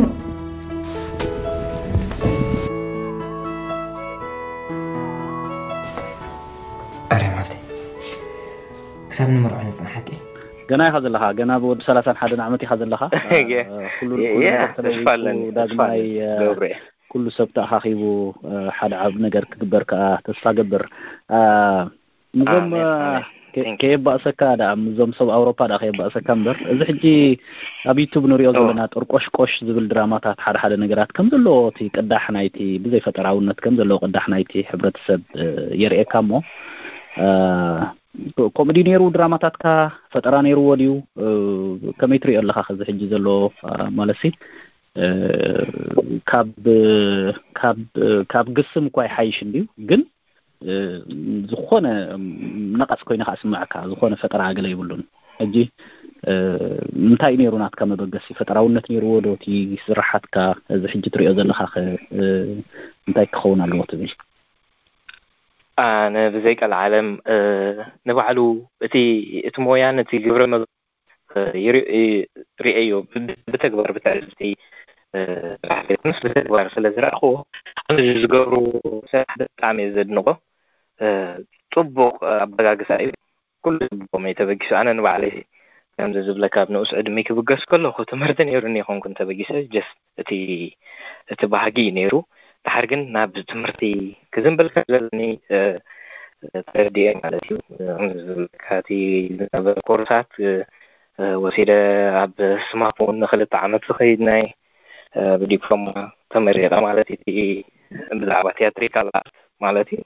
ኣርያም ሓፍተይ ክሳብ ንምርዖ ንፅንሓቂ ገና ኢኻ ዘለኻ ገና ብወዲ ሰላሳን ሓደን ዓመት ኢኻ ዘለኻ ኩሉ ዳግማይ ኩሉ ሰብ ተኣኻኺቡ ሓደ ዓብ ነገር ክግበር ከዓ ተስፋ ገብር ምዞም ከየባእሰካ ዳ ምዞም ሰብ ኣውሮፓ ዳ ከየባእሰካ እምበር እዚ ሕጂ ኣብ ዩቱብ ንሪኦ ዘለና ጥርቆሽቆሽ ዝብል ድራማታት ሓደ ሓደ ነገራት ከም ዘለዎ እቲ ቅዳሕ ናይቲ ብዘይ ፈጠራውነት ከም ዘለዎ ቅዳሕ ናይቲ ሕብረተሰብ የርእየካ እሞ ከምኡ ድዩ ነይሩ ድራማታትካ ፈጠራ ነይርዎ ድዩ ከመይ ትሪኦ ኣለካ ከዚ ሕጂ ዘሎ ማለት ሲ ካብ ካብ ካብ ግስም እኳ ይሓይሽ እንድዩ ግን ዝኾነ ነቐፅ ኮይነ ከዓ ስምዐካ ዝኾነ ፈጠራ ገለ የብሉን ሕጂ እንታይ ነይሩ ናትካ መበገሲ ፈጠራውነት ነይርዎ ዶ እቲ ስራሓትካ እዚ ሕጂ ትሪኦ ዘለካ እንታይ ክኸውን ኣለዎ ትብል ኣነ ብዘይ ቀልዓለም ንባዕሉ እቲ እቲ ሞያን እቲ ግብረ ሪኤዮ ብተግባር ብትዕዝብቲ ምስ ብተግባር ስለ ዝረኣኽዎ ከምዚ ዝገብሩ ስራሕ ብጣዕሚ እየ ዘድንቖ። ፅቡቕ ኣበጋግሳ እዩ። ኩሉ ፅቡቕ እዩ ተበጊሱ። ኣነ ንባዕለይ ከምዚ ዝብለካ ኣብ ንኡስ ዕድመይ ክብገስ ከለኹ ትምህርቲ ነይሩኒ ኣይኮንኩን ተበጊሰ just እቲ እቲ ባህጊ እዩ ነይሩ። ድሓር ግን ናብ ትምህርቲ ክዝንብል ከም ዘለኒ ተረዲኤ ማለት እዩ። ከምዚ ዝብለካ እቲ ዝነበረ ኮርሳት ወሲደ ኣብ ስማፕ እውን ንክልተ ዓመት ዝኸይድ ናይ ብዲፕሎማ ተመሪቐ ማለት እዩ። ብዛዕባ ቲያትሪካል ኣርት ማለት እዩ።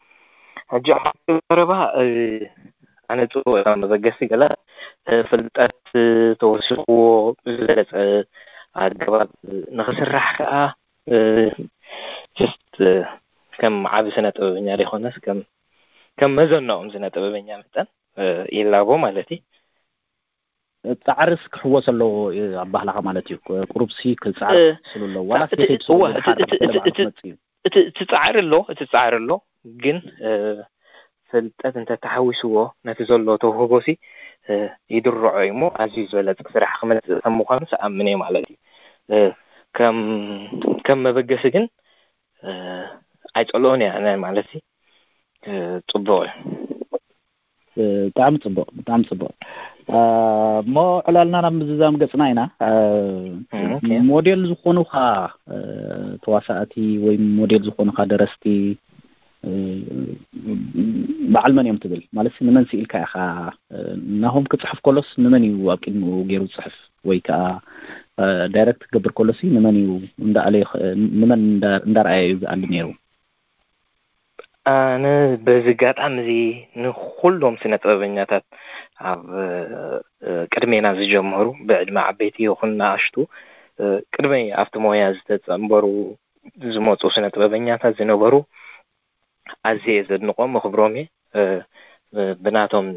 ሕጂ ሓንቲ ዘረባ ኣነጽዎ እታ መበገሲ ገለ ፍልጠት ተወሲኽዎ ብዝበለጸ ኣገባብ ንኽስራሕ ከኣ just ከም ዓቢ ስነ ጥበበኛ ዘይኮነስ ከም ከም መዘናኦም ስነ ጥበበኛ መጠን ይላቦ ማለት እዩ። ጻዕርስ ክሕወስ ኣለዎ ኣባህላኻ ማለት እዩ። ቁሩብሲ ክጻዕር ስሉ ኣለዎ ዋላ እቲ ጻዕሪ ኣሎ እቲ ጻዕሪ ኣሎ ግን ፍልጠት እንተተሓዊስዎ ነቲ ዘሎ ተውህቦሲ ይድርዖ እዩ እሞ ኣዝዩ ዝበለጸ ስራሕ ክመጽእ ከም ምዃኑ ሰኣምን እየ ማለት እዩ። ከም ከም መበገሲ ግን ኣይጸልኦን እያ ማለት ጽቡቕ እዩ። ብጣዕሚ ጽቡቕ ብጣዕሚ ጽቡቕ። እሞ ዕላልና ናብ ምዝዛም ገጽና ኢና። ሞዴል ዝኾኑኻ ተዋሳእቲ ወይ ሞዴል ዝኾኑኻ ደረስቲ በዓል መን እዮም ትብል? ማለት ንመን ስኢልካ ኢኻ? ናሆም ክጽሕፍ ከሎስ ንመን እዩ ኣብ ቅድሚኡ ገይሩ ዝጽሕፍ? ወይ ከዓ ዳይረክት ክገብር ከሎሲ ንመን እዩ እንዳኣለ ንመን እንዳረኣየ እዩ ዝኣሊ ነይሩ? ኣነ በዚ ኣጋጣሚ እዚ ንኹሎም ስነ ጥበበኛታት ኣብ ቅድሜና ዝጀመሩ ብዕድመ ዓበይቲ ይኹን ንኣሽቱ ቅድመይ ኣብቲ ሞያ ዝተጸንበሩ ዝመፁ ስነ ጥበበኛታት ዝነበሩ ኣዝየ ዘድንቆም መኽብሮም እየ። ብናቶም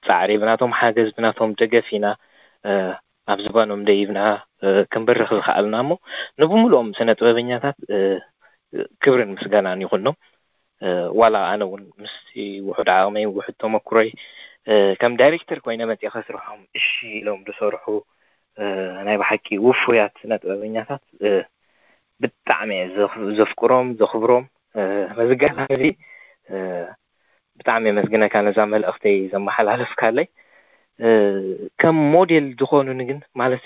ፃዕሪ ብናቶም ሓገዝ ብናቶም ደገፍ ኢና ኣብ ዝባኖም ደይብና ክንበርኽ ዝኸኣልና እሞ ንብምልኦም ስነ ጥበበኛታት ክብርን ምስጋናን ይኹኖም። ዋላ ኣነ እውን ምስ ውሑድ ዓቕመይ ውሑድ ተመክሮይ ከም ዳይሬክተር ኮይነ መፅእ ከስርሖም እሺ ኢሎም ዝሰርሑ ናይ ብሓቂ ውፉያት ስነ ጥበበኛታት ብጣዕሚ እየ ዘፍቅሮም ዘኽብሮም። በዚ ኣጋጣሚ እዚ ብጣዕሚ የመስግነካ ነዛ መልእኽተይ ዘመሓላለፍካለይ። ከም ሞዴል ዝኾኑኒ ግን ማለት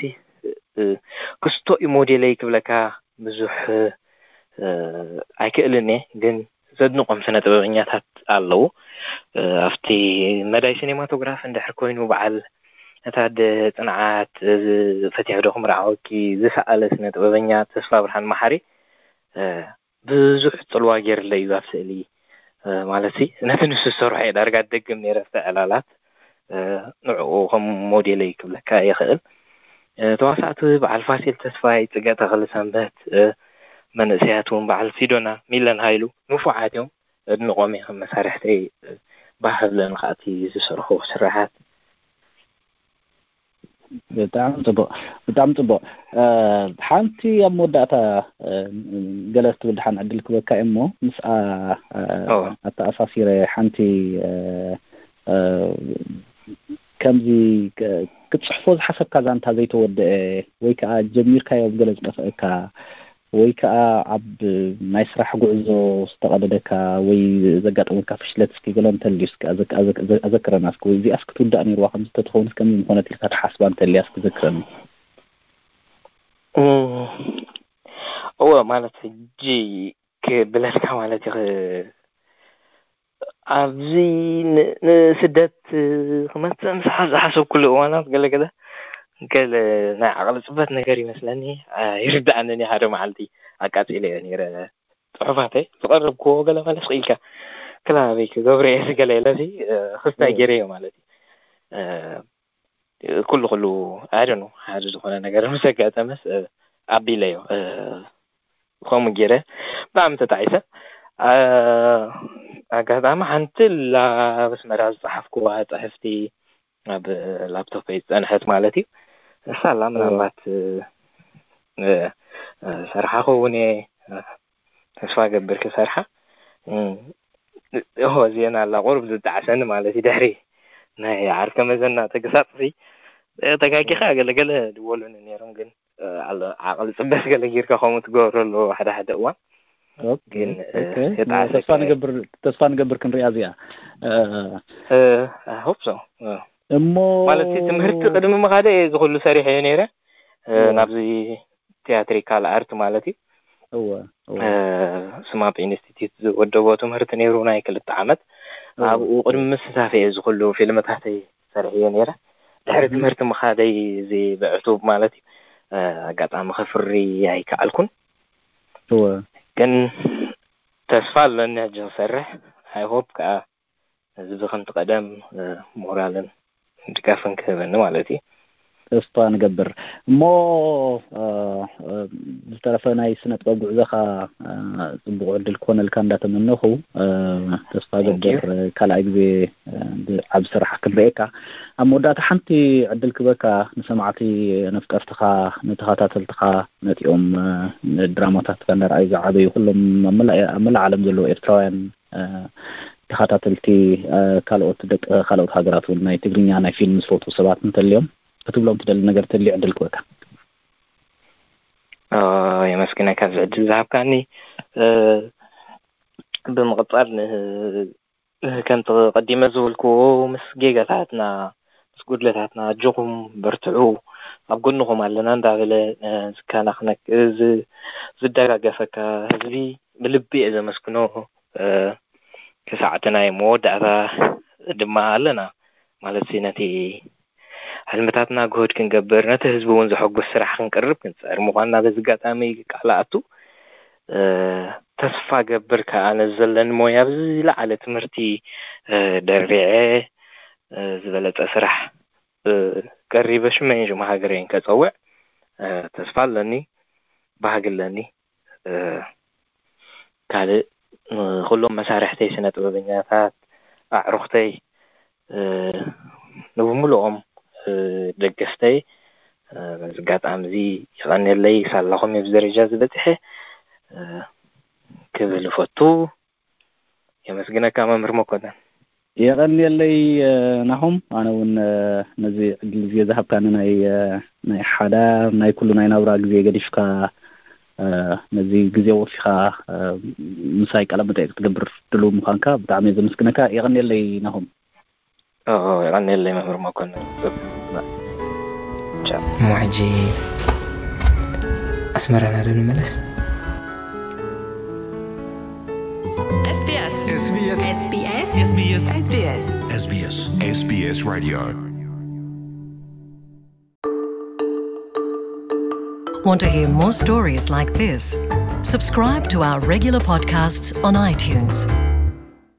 ክስቶ እዩ ሞዴለይ ክብለካ ብዙሕ ኣይክእልን እየ ግን ዘድንቆም ስነ ጥበበኛታት ኣለዉ። ኣብቲ መዳይ ሲኔማቶግራፍ እንድሕር ኮይኑ በዓል ነታ ኣደ ጽንዓት ፈቲሑ ዶ ክምርዓወኪ ዝሰኣለ ስነ ጥበበኛ ተስፋ ብርሃን መሓሪ ብዙሕ ጽልዋ ገይርለይ እዩ ኣብ ስእሊ። ማለት ነቲ ንሱ ዝሰርሖ እየ ዳርጋ ደግም ነይረ ኣብቲ ዕላላት። ንዕኡ ከም ሞዴለይ ክብለካ ይኽእል። ተዋሳእቲ በዓል ፋሲል ተስፋይ፣ ጽገ ተኽለ ሰንበት፣ መንእሰያት እውን በዓል ሲዶና ሚለን ሃይሉ ንፉዓት እዮም። ኣድንቆም እየ ከም መሳርሕተይ ባህ ብለን ከኣቲ ዝሰርሑ ስራሓት። ብጣዕሚ ጽቡቕ ብጣዕሚ ጽቡቕ። ሓንቲ ኣብ መወዳእታ ገለ ክትብል ድሓን ዕድል ክበካ እሞ ምስኣ ኣተኣሳሲረ ሓንቲ ከምዚ ክትጽሕፎ ዝሓሰብካ ዛንታ ዘይተወደአ ወይ ከዓ ጀሚርካዮ ብገለ ዝጠፍአካ ወይ ከዓ ኣብ ናይ ስራሕ ጉዕዞ ዝተቐደደካ ወይ ዘጋጠመካ ፍሽለት እስኪ ገለ እንተልዩ እስኪ ኣዘክረና እስኪ ወይ እዚኣስ ክትውዳእ ነይርዋ ከምዚ ተትኸውን እስከ ምኾነት ኢልካ ትሓስባ እንተልያ እስኪ ዘክረኒ። እወ ማለት ሕጂ ክብለልካ ማለት እዩ ኣብዚ ንስደት ክመፅእ ምስ ዝሓሰብኩሉ እዋናት ገለገለ ገለ ናይ ዓቕሊ ፅበት ነገር ይመስለኒ። ይርዳእንን ሓደ መዓልቲ ኣቃፂለዮ ነይረ ፅሑፋተይ ዝቐረብክዎ ገለ ማለት ክኢልካ ክላበይ ክገብረ እየ ዝገለ ኢለሲ ክስታይ ገይረዮ ማለት እዩ። ኩሉ ኩሉ ኣደኑ ሓደ ዝኾነ ነገር ምስ ኣጋጠመስ ኣቢለዮ ከምኡ ገይረ ብጣዕሚ ተጣዒሰ። ኣጋጣሚ ሓንቲ ላበስመራ ዝፀሓፍኩዋ ፅሕፍቲ ኣብ ላፕቶፐይ ዝፀንሐት ማለት እዩ። እሳ ኣላ ምናልባት ሰርሓ ከውን እየ ተስፋ ገብር ክሰርሓ። እሆ ዜና ኣላ ቁሩብ ዝጣዕሰኒ ማለት እዩ። ድሕሪ ናይ ዓርከ መዘና ተገሳፅሲ ተጋጊኻ ገለገለ ድወሉኒ ነይሮም ግን ኣሎ ዓቕሊ ፅበስ ገለ ጌርካ ከምኡ ትገብረሉ ሓደ ሓደ እዋን ግን ተስፋ ንገብር ክንሪኣ እዚኣ ሆፕ ሶ እሞ ማለት ትምህርቲ ቅድሚ ምኻደ እየ ዝኩሉ ሰሪሐ እየ ነይረ ናብዚ ቲያትሪካል ኣርት ማለት እዩ። ስማፕ ኢንስቲትዩት ዝወደቦ ትምህርቲ ነይሩ ናይ ክልተ ዓመት ኣብኡ ቅድሚ ምስታፍ እየ እዚ ኩሉ ፊልምታተይ ሰሪሐዮ ነይረ። ድሕሪ ትምህርቲ ምኻደይ እዚ ብዕቱብ ማለት እዩ ኣጋጣሚ ከፍሪ ኣይከኣልኩን። ግን ተስፋ ኣለኒ ሕጂ ክሰርሕ። I hope ከዓ ህዝቢ ከምቲ ቀደም ሞራልን ድጋፍን ክህበኒ ማለት እዩ። ተስፋ ንገብር። እሞ ዝተረፈ ናይ ስነ ጥበብ ጉዕዞኻ ጽቡቕ ዕድል ክኾነልካ እንዳተመነኹ፣ ተስፋ ገብር ካልኣይ ግዜ ብዓብ ስራሕ ክንርእየካ። ኣብ መወዳእታ ሓንቲ ዕድል ክበካ ንሰማዕቲ፣ ነፍቀርትኻ፣ ንተኸታተልትኻ፣ ነቲኦም ድራማታትካ እንዳረኣዩ ዝዓበዩ ኩሎም ኣብ መላእ ዓለም ዘለዉ ኤርትራውያን ተኸታተልቲ፣ ካልኦት ደቂ ካልኦት ሃገራት እውን ናይ ትግርኛ ናይ ፊልም ዝፈትዉ ሰባት እንተልዮም ክትብሎም ትደሊ ነገር ተልዩ ዕድል ክበካ። የመስግነካ እዚ ዕድል ዝሃብካኒ። ብምቕጻል ከምቲ ቀዲመ ዝበልክዎ ምስ ጌጋታትና ምስ ጉድለታትና ኣጆኹም በርትዑ ኣብ ጎንኹም ኣለና እንዳበለ ዝከናኽነክ ዝደጋገፈካ ህዝቢ ብልቢ እየ ዘመስግኖ። ክሳዕቲ ናይ መወዳእታ ድማ ኣለና ማለት ነቲ ሕልምታትና ግሁድ ክንገብር ነቲ ህዝቢ እውን ዘሐጉስ ስራሕ ክንቅርብ ክንፅዕር ምኳንና በዚ ኣጋጣሚ ቃል ኣቱ። ተስፋ ገብር ከዓ ነዚ ዘለኒ ሞያ ብዝለዓለ ትምህርቲ ደሪዐ ዝበለፀ ስራሕ ቀሪበ ሽመይን ሽም ሃገረይን ከፀውዕ ተስፋ ኣለኒ፣ ባህጊ ኣለኒ። ካልእ ንኩሎም መሳርሕተይ ስነ ጥበበኛታት ኣዕሩኽተይ ንብምልኦም ደገፍተይ በዚ ኣጋጣሚ እዚ የቐንየለይ። ሳላኹም እየ ኣብዚ ደረጃ እዚ በፂሐ ክብል እፈቱ። የመስግነካ መምህር መኮነን። የቐንየለይ ናሆም፣ ኣነ እውን ነዚ ዕድል እዚ ዝሃብካኒ ናይ ናይ ሓዳር ናይ ኩሉ ናይ ናብራ ግዜ ገዲፍካ ነዚ ግዜ ወፊኻ ምሳይ ቃለ መጠይቅ ክትገብር ድሉው ምዃንካ ብጣዕሚ እየ ዘመስግነካ። የቐንየለይ ናሆም። የቐንየለይ መምህር መኮነን። እሞ ሕጂ ኣስመራና ዶ ንመለስ? SBS SBS SBS SBS SBS SBS Radio. Want to hear more stories like this? Subscribe to our regular podcasts on iTunes.